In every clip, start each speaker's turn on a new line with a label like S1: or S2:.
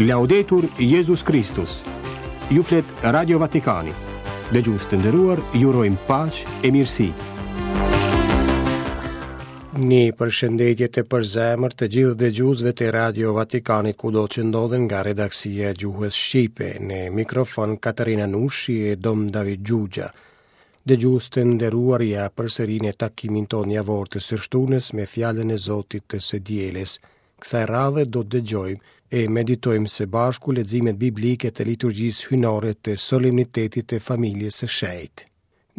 S1: Laudetur Jezus Kristus. Ju flet Radio Vatikani. Dëgjues të nderuar, ju urojmë paqe e mirësi.
S2: Një përshëndetje të përzemërt të gjithë dëgjuesve të Radio Vatikanit kudo që ndodhen nga redaksia e gjuhës shqipe në mikrofon Katerina Nushi e Dom David Xhuxha. Dëgjues të nderuar ja përsëri në takimin tonë javor të së shtunës me fjalën e Zotit të së dielës. Kësaj radhe do të dëgjojmë e meditojmë së bashku leximet biblike të liturgjisë hyjnore të solemnitetit të familjes së shenjtë.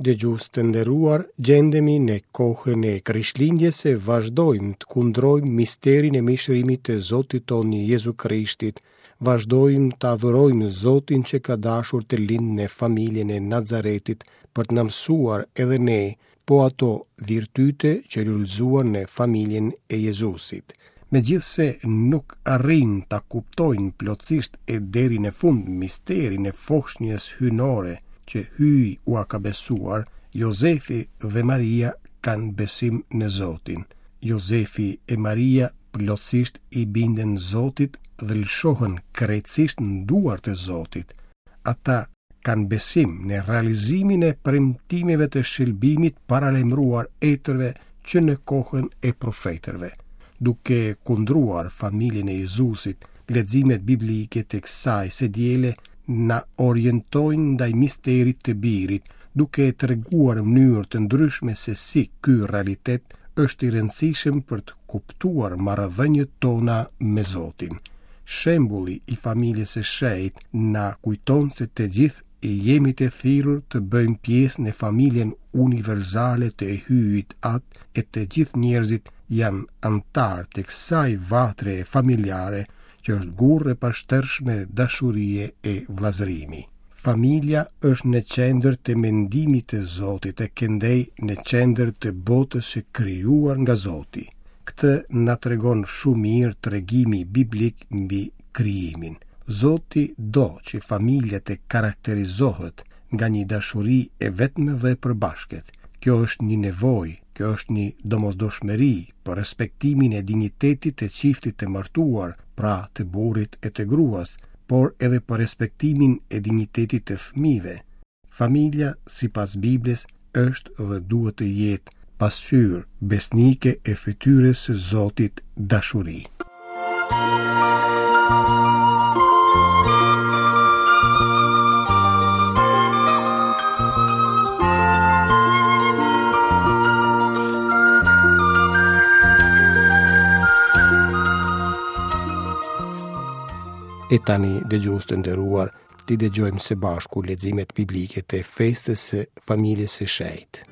S2: Dëgjues të nderuar, gjendemi në kohën e Krishtlindjes e vazhdojmë të kundrojmë misterin e mishërimit të Zotit tonë Jezu Krishtit, vazhdojmë të adhurojmë Zotin që ka dashur të lindë në familjen e Nazaretit për të na mësuar edhe ne po ato virtyte që lulëzuan në familjen e Jezusit. Megjithëse nuk arrijnë ta kuptojnë plotësisht e deri në fund misterin e foshnjës hyjnore që Hyji ua ka besuar, Jozefi dhe Maria kanë besim në Zotin. Jozefi e Maria plotësisht i binden Zotit dhe lëshohen krejtësisht në duart e Zotit. Ata kanë besim në realizimin e premtimeve të shëlbimit paralajmëruar etërve që në kohën e profetërve. Duke kundruar familjen e Jezusit, leximet biblike të kësaj së diele na orientojnë ndaj misterit të birit, duke treguar në mënyrë të ndryshme se si ky realitet është i rëndësishëm për të kuptuar marrëdhëniet tona me Zotin. Shembulli i familjes së shenjtë na kujton se të gjithë jemi të thirrur të bëjmë pjesë në familjen universale të Hyjit Atë e të gjithë njerëzit janë anëtarë të kësaj vatre familjare që është gurrë e pashtershme dashurie e vëllazërimi. Familja është në qendër të mendimit të Zotit e këndej në qendër të botës së krijuar nga Zoti. Këtë na tregon shumë mirë tregimi biblik mbi krijimin. Zoti do që familja të karakterizohet nga një dashuri e vetme dhe e përbashkët. Kjo është një nevojë, kjo është një domosdoshmëri për respektimin e dinjitetit të çiftit të martuar, pra të burrit e të gruas, por edhe për respektimin e dinjitetit të fëmijëve. Familja, sipas Biblës, është dhe duhet të jetë pasqyrë besnike e fytyrës së Zotit dashuri. E tani, dëgjues të nderuar, t'i dëgjojmë së bashku leximet biblike të festës së familjes së shenjtë.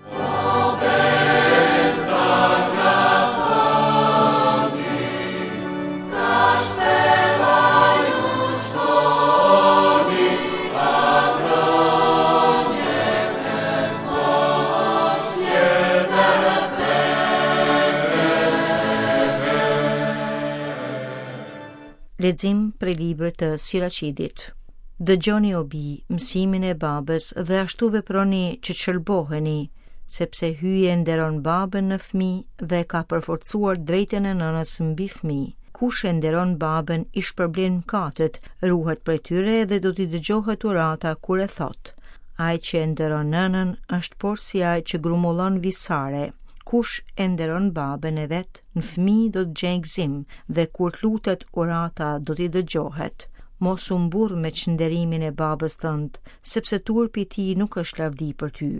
S3: Lexim prej librit të Siracidit. Dëgjoni o bij, mësimin e babës dhe ashtu veproni që të shëlboheni, sepse Hyji e nderon babën në fëmijë dhe e ka përforcuar drejtën e nënës mbi fëmijë. Kush e nderon babën i shpërblen mëkatet, ruhet prej tyre dhe do t'i dëgjohet urata kur e thotë. Ai që e nderon nënën është porsi ai që grumbullon visare. Kush e nderon babën e vet, në fëmijë do të gjejë gëzim dhe kur të lutet urata do t'i dëgjohet. Mos u mburr me çnderimin e babës tënd, sepse turpi i tij nuk është lavdi për ty.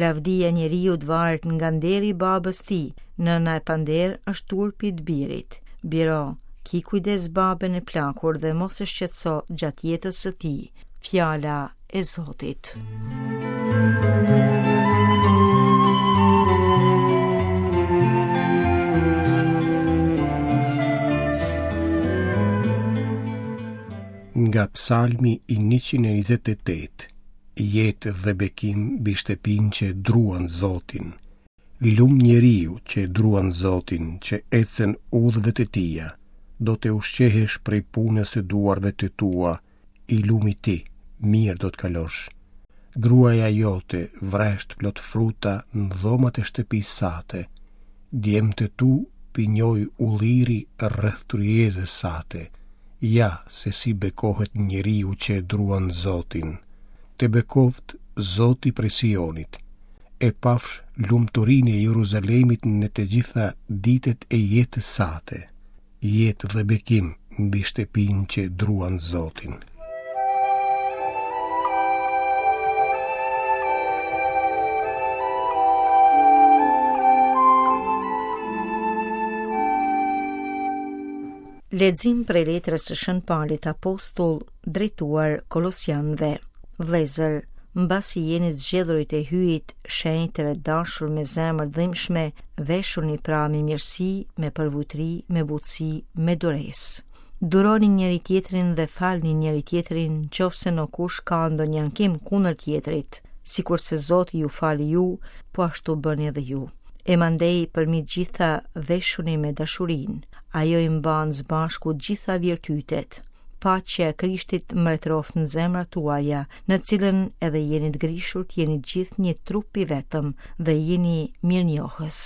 S3: Lavdia e njeriut varet nga nderi i babës tij, nëna e panderë është turpi i të birit. Biro, ki kujdes babën e plakur dhe mos e shqetëso gjatë jetës së tij. Fjala e Zotit.
S2: Nga psalmi i 128, jetë dhe bekim mbi shtëpinë që druan Zotin. Lum njeriu që druan Zotin, që ecën udhëve të tija, do të ushqehesh prej punës së duarve të tua, I lumi ti, mirë do të kalosh. Gruaja jote vresht plot fruta në dhomat e shtëpisë sate. Djemtë e tu pinjoj ulliri rreth tryezës sate. Ja se si bekohet njeriu që e druan Zotin. Të bekoftë Zoti prej Sionit. E pafsh lumturinë e Jeruzalemit në të gjitha ditët e jetës sate. Jetë dhe bekim mbi shtëpinë që druan Zotin.
S3: Lexim prej letrës së Shën Palit Apostull drejtuar Kolosianëve. Vëllezër, mbasi jeni të zgjedhurit e Hyjit, shenjtër e të dashur me zemër të dhimbshme, veshuni pra me mirësi, me përvujtëri, me butësi, me duresë. Duroni njëri-tjetrin dhe falni njëri-tjetrin, qoftë se ndokush ka ndonjë ankim kundër tjetrit, sikurse Zoti ju fali ju, po ashtu bëni edhe ju. E mandej përmbi të gjitha veshuni me dashurinë, ajo i mban së bashku të gjitha virtytet. Paqja e Krishtit mbretëroftë në zemrat tuaja, në të cilën edhe jeni të grishur të jeni të gjithë një trup i vetëm dhe jini mirënjohës.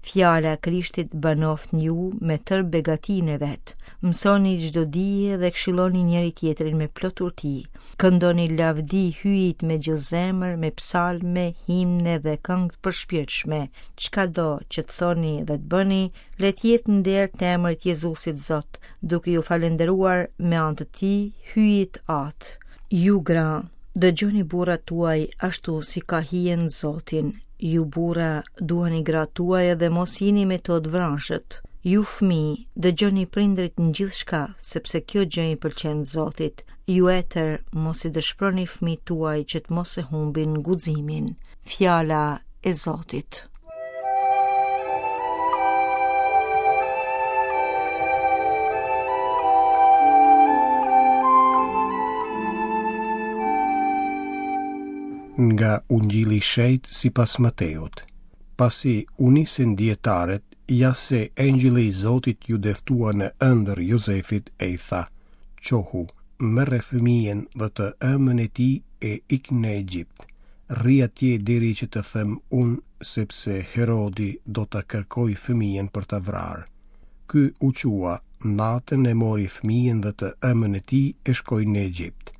S3: Fjala e Krishtit banoftë në ju me tërë begatinë e vet. Mësoni çdo dije dhe këshilloni njëri-tjetrin me plot urti. Këndoni lavdi Hyjit me gjithë zemër, me psalme, himne dhe këngë të përshpirtshme. Çkado që të thoni dhe të bëni, le të jetë në nder të emrit Jezusit Zot, duke iu falënderuar me anë të tij Hyjit Atë. Ju gra, dëgjoni burrat tuaj ashtu si ka hije në Zotin. Ju burra, duani gratë tuaja dhe mos jini me to të vrazhdë. Ju fëmijë, dëgjoni prindërit në gjithçka, sepse kjo gjë i pëlqen Zotit. Ju etër, mos i dëshpëroni fëmijët tuaj që të mos e humbin guximin. Fjala e Zotit.
S2: Nga Ungjilli i Shenjtë sipas Mateut. Pasi u nisën dijetarët, ja se engjëlli i Zotit iu dëftua në ëndërr Jozefit e i tha: Çohu, merre fëmijën dhe të ëmën e tij e ik në Egjipt. Rri atje deri që të them unë, sepse Herodi do ta kërkojë fëmijën për ta vrarë. Ky u çua, natën e mori fëmijën dhe të ëmën e tij e shkoi në Egjipt.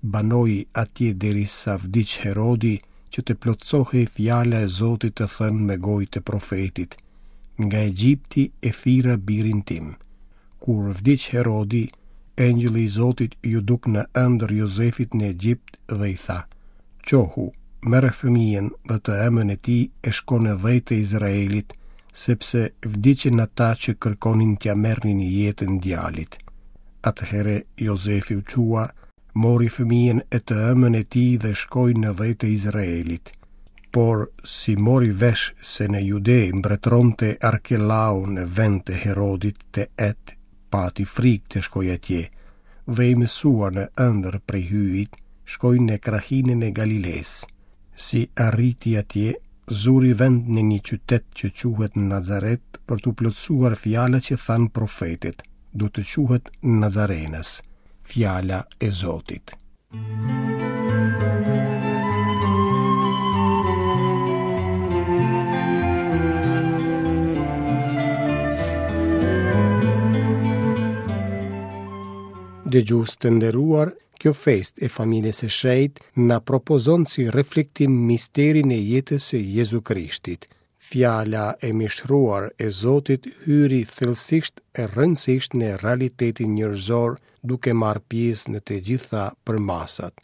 S2: Banoi atje derisa vdiq Herodi, që të plotësohej fjala e Zotit të thënë me gojë të profetit, Nga Egjipti e thirra birin tim. Kur vdiq Herodi, engjëlli i Zotit iu duk në ëndërr Jozefit në Egjipt dhe i tha, Çohu, merre fëmijën dhe të ëmën e tij e shko në dhe të Izraelit, sepse vdiqën ata që kërkonin t'ia merrnin jetën djalit. Atëherë Jozefi u çua, mori fëmijën e të ëmën e tij dhe shkoi në dhe të Izraelit. Por, si mori vesh se në Jude mbretëronte Arkelau në vend të Herodit të et, pati frikë të shkojë atje, dhe i mësuar në ëndërr prej Hyjit, shkoi në krahinën e Galilesë. Si arriti atje, zuri vend në një qytet që quhet Nazaret për t'u plotësuar fjala që thanë profetët, do të quhet Nazarenas, fjala e Zotit. Dëgjues të nderuar, kjo festë e familjes së shenjtë na propozon si reflektim misterin e jetës së Jezu Krishtit. Fjala e mishëruar e Zotit hyri thellësisht e rrënjësisht në realitetin njerëzor duke marrë pjesë në të gjitha përmasat.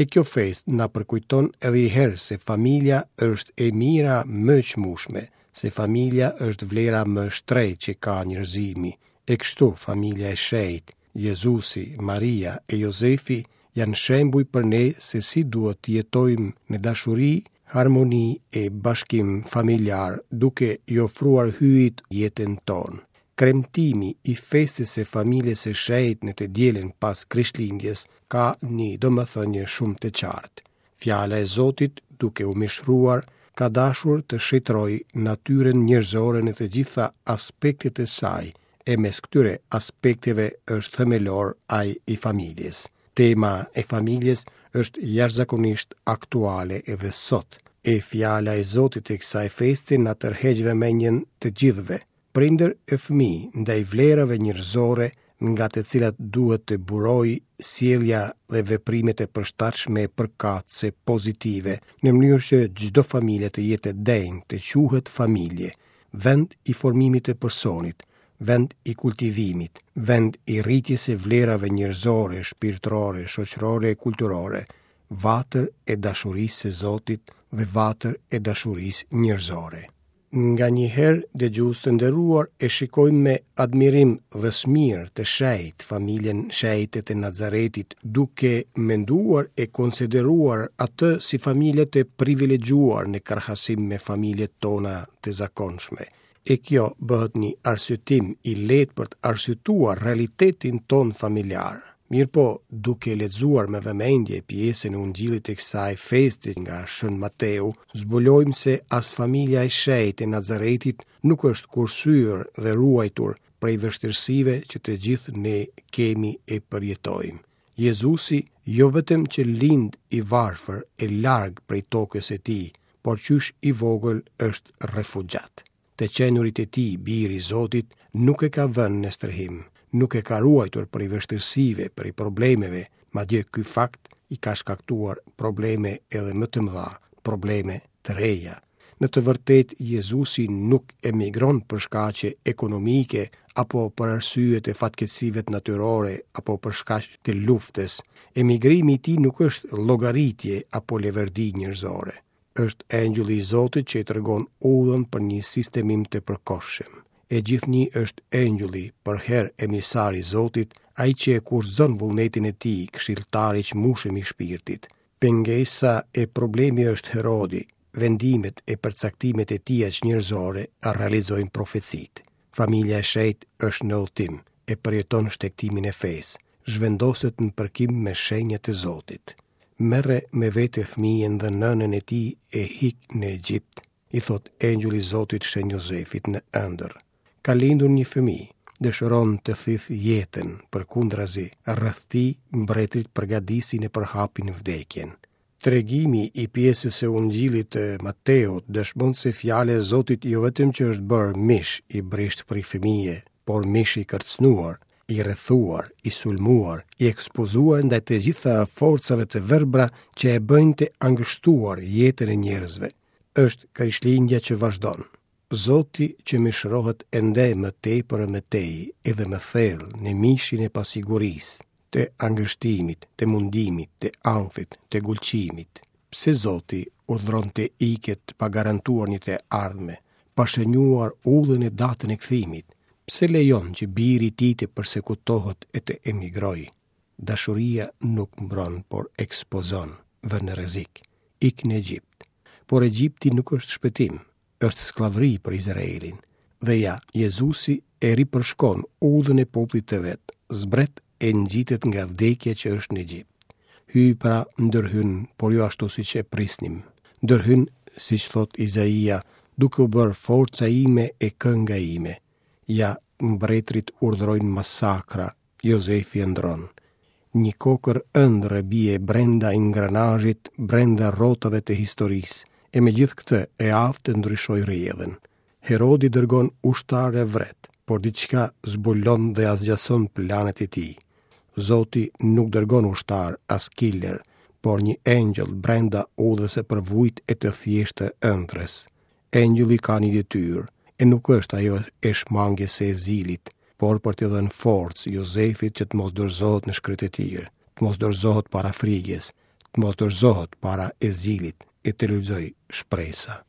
S2: E kjo festë na përkujton edhe një herë se familja është e mira më e çmueshme, se familja është vlera më e shtrenjtë që ka njerëzimi. E kështu familja e shenjtë, Jezusi, Maria e Jozefi janë shembuj për ne se si duhet të jetojmë në dashuri, harmoni e bashkim familjar duke i ofruar Hyjit jetën tonë. Kremtimi i festës së familjes së shenjtë në të dielën pas Krishtlindjes ka një domethënie shumë të qartë. Fjala e Zotit, duke u mishëruar, ka dashur të shenjtërojë natyrën njerëzore në të gjitha aspektet e saj, e mes këtyre aspekteve është themelor ai i familjes. Tema e familjes është jashtëzakonisht aktuale edhe sot. E fjala e Zotit e kësaj feste na tërheq vëmendjen të gjithëve, prindër e fëmijë, ndaj vlerave njerëzore nga të cilat duhet të burojë sjellja dhe veprimet e përshtatshme përkatëse pozitive, në mënyrë që çdo familje të jetë e denjë të quhet familje, vend i formimit të personit, vend i kultivimit, vend i rritjes së vlerave njerëzore, shpirtërore, shoqërore e kulturore, vatër e dashurisë së Zotit dhe vatër e dashurisë njerëzore. Nganjëherë, dëgjues të nderuar, e shikojmë me admirim dhe smirë të shenjtë familjen shenjte të Nazaretit, duke menduar e konsideruar atë si familje të privilegjuar në krahasim me familjet tona të zakonshme. E kjo bëhet një arsyetim i lehtë për të arsyetuar realitetin tonë familjar. Mirëpo, duke lexuar me vëmendje pjesën e Ungjillit të kësaj feste nga Shën Mateu, zbulojmë se as familja e shenjtë e Nazaretit nuk është kursyer dhe ruajtur prej vështirësive që të gjithë ne kemi e përjetojmë. Jezusi jo vetëm që lind i varfër e larg prej tokës së tij, por qysh i vogël është refugjat. Të qenurit e tij bir i Zotit nuk e ka vënë në strehim, nuk e ka ruajtur prej vështirësive, prej problemeve, madje ky fakt i ka shkaktuar probleme edhe më të mëdha, probleme të reja. Në të vërtetë, Jezusi nuk emigron për shkaqe ekonomike apo për arsye të fatkeqësive natyrore apo për shkaq të luftës. Emigrimi i tij nuk është llogaritje apo leverdi njerëzore. Është engjëlli i Zotit që i tregon udhën për një sistemim të përkohshëm. E gjithnjë është engjëlli, përherë emisar i Zotit, ai që e kushtëzon vullnetin e tij, këshilltari i çmueshëm i shpirtit. Pengesa e problemi është Herodi, vendimet e përcaktimet e tija çnjerëzore realizojnë profecitë. Familja e shenjtë është në udhëtim, e përjeton shtegtimin e fesë, zhvendoset në përkim me shenjat e Zotit. Merre me vete fëmijën dhe nënën e tij e ik në Egjipt, i thotë engjëlli i Zotit Shën Jozefit në ëndërr. Ka lindur një fëmijë, dëshiron të thithë jetën, përkundrazi, rreth tij mbretërit përgatisin e përhapin vdekjen. Tregimi i pjesës së Ungjillit të Mateut dëshmon se fjala e Zotit jo vetëm që është bërë mish i brishtë prej fëmije, por mish i kërcënuar, i rrethuar, i sulmuar, i ekspozuar ndaj të gjitha forcave të verbra që e bëjnë të angështuar jetën e njerëzve. Është Krishtlindja që vazhdon. Zoti që mishërohet ende më tepër e më tej, edhe më thellë në mishin e pasigurisë, të angështimit, të mundimit, të ankthit, të gulçimit. Pse Zoti urdhëron të iket pa garantuar një të ardhme, pa shënjuar udhën e datën e kthimit? Pse lejon që biri i tij të persekutohet e të emigrojë? Dashuria nuk mbron, por ekspozon, vë në rrezik. Ik në Egjipt. Por Egjipti nuk është shpëtim, është skllavëri për Izraelin. Dhe ja, Jezusi e ripërshkon udhën e popullit të vet, zbret e ngjitet nga vdekja që është në Egjipt. Hyji pra ndërhyn, por jo ashtu siç e prisnim. Ndërhyn, siç thotë Izaia, duke u bërë forca ime e kënga ime. Ja, mbretërit urdhërojnë masakra, Jozefi ëndërron. Një kokërr ëndrre bie brenda ingranazhit, brenda rrotave të historisë, e megjithëkëtë e aftë të ndryshojë rrjedhën. Herodi dërgon ushtarë e vret, por diçka zbulon dhe asgjëson planet e tij. Zoti nuk dërgon ushtarë as killer, por një engjëll brenda udhës së përvujtë e të thjeshtë të ëndrrës. Engjëlli ka një detyrë, e nuk është ajo e shmangies së ezilit, por për t'i dhënë forcë Jozefit që të mos dorëzohet në shkretëtirë, të mos dorëzohet para frigës, të mos dorëzohet para ezilit e të lulëzojë shpresa.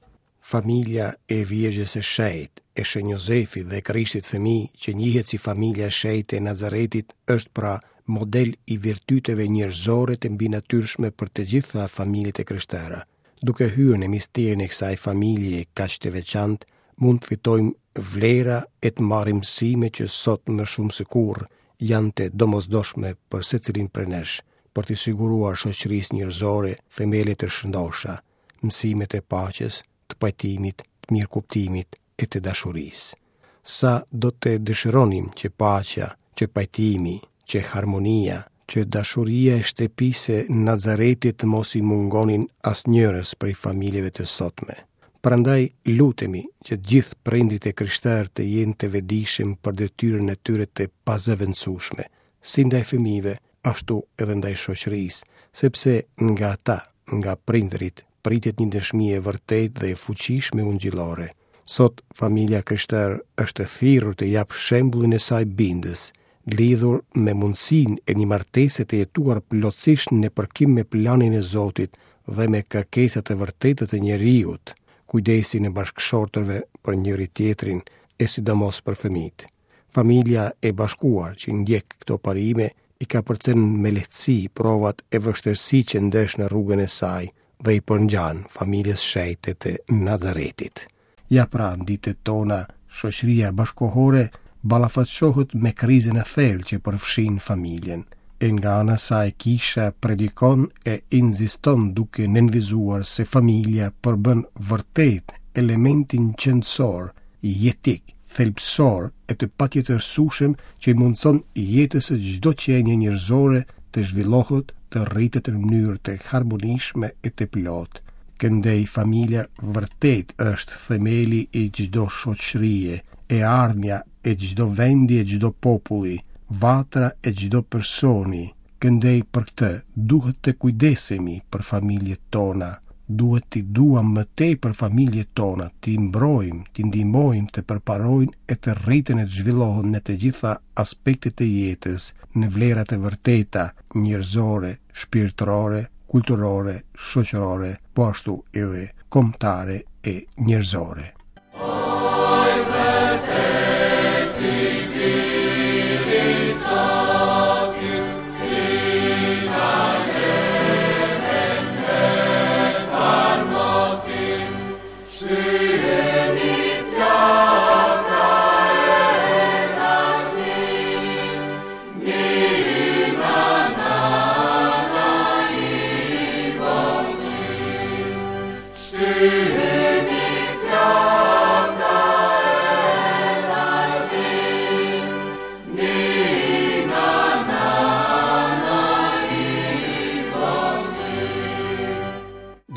S2: Familja e Virgjës së Shenjtë, e Shën Jozefit dhe Krishtit fëmijë, që njihet si familja e shenjtë e Nazaretit, është pra model i virtyteve njerëzore të mbinatyrshme për të gjitha familjet e krishtera. Duke hyrë në misterin e kësaj familjeje kaq të veçantë, mund të fitojmë vlera e të marrim mësime që sot më shumë se kurrë janë të domosdoshme për secilin prej nesh, për t'i siguruar shoqërisë njerëzore themele të shëndosha, mësimet e paqes, të pajtimit, të mirëkuptimit e të dashurisë. Sa do të dëshironim që paqja, që pajtimi, që harmonia, që dashuria e shtëpisë së Nazaretit të mos i mungonin asnjërës prej familjeve të sotme. Prandaj lutemi që të gjithë prindërit e krishterë të jenë të vetëdijshëm për detyrën e tyre të pazëvendësueshme, si ndaj fëmijëve, ashtu edhe ndaj shoqërisë, sepse nga ata, nga prindërit, pritet një dëshmi e vërtetë dhe e fuqishme ungjillore. Sot familja e krishterë është e thirrur të japë shembullin e saj bindës, lidhur me mundësinë e një martese të jetuar plotësisht në përkim me planin e Zotit dhe me kërkesat e vërteta të njeriut, kujdesin e bashkëshortëve për njëri-tjetrin e sidomos për fëmijët. Familja e bashkuar që ndjek këto parime i kapërcen me lehtësi provat e vështirësitë që ndesh në rrugën e saj dhe i përngjan familjes shenjte të Nazaretit. Ja pra, në ditët tona, shoqëria bashkëkohore ballafaqohet me krizën e thellë që përfshin familjen. E nga ana e saj kisha predikon e insiston duke nënvizuar se familja përbën vërtet elementin qenësor, jetik, thelbësor e të patjetërsueshëm që i mundëson jetës së çdo qenie njerëzore të zhvillohet, të rritet në mënyrë të harmonishme e të plotë. Këndej familja vërtet është themeli i çdo shoqërie, e ardhmja e çdo vendi e çdo populli, vatra e çdo personi. Këndej për këtë duhet të kujdesemi për familjet tona, duhet t'i duam më tepër familjet tona, t'i mbrojmë, t'i ndihmojmë të përparojnë e të rriten e të zhvillohen në të gjitha aspektet e jetës, në vlerat e vërteta njerëzore, shpirtërore, kulturore, shoqërore, po ashtu edhe kombëtare e njerëzore.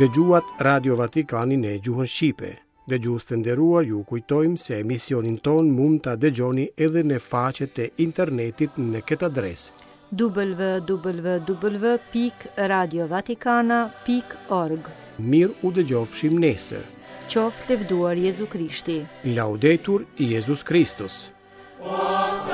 S2: Dëgjuat Radio Vatikanin në gjuhën shqipe. Dëgjues të nderuar, ju kujtojmë se emisionin tonë mund ta dëgjoni edhe në faqet e internetit në këtë adresë
S3: www.radiovatikana.org
S2: Mirë u dëgjofshim nesër.
S3: Qoftë lëvduar Jezu Krishti.
S2: Laudetur Jezus Kristus.
S4: O.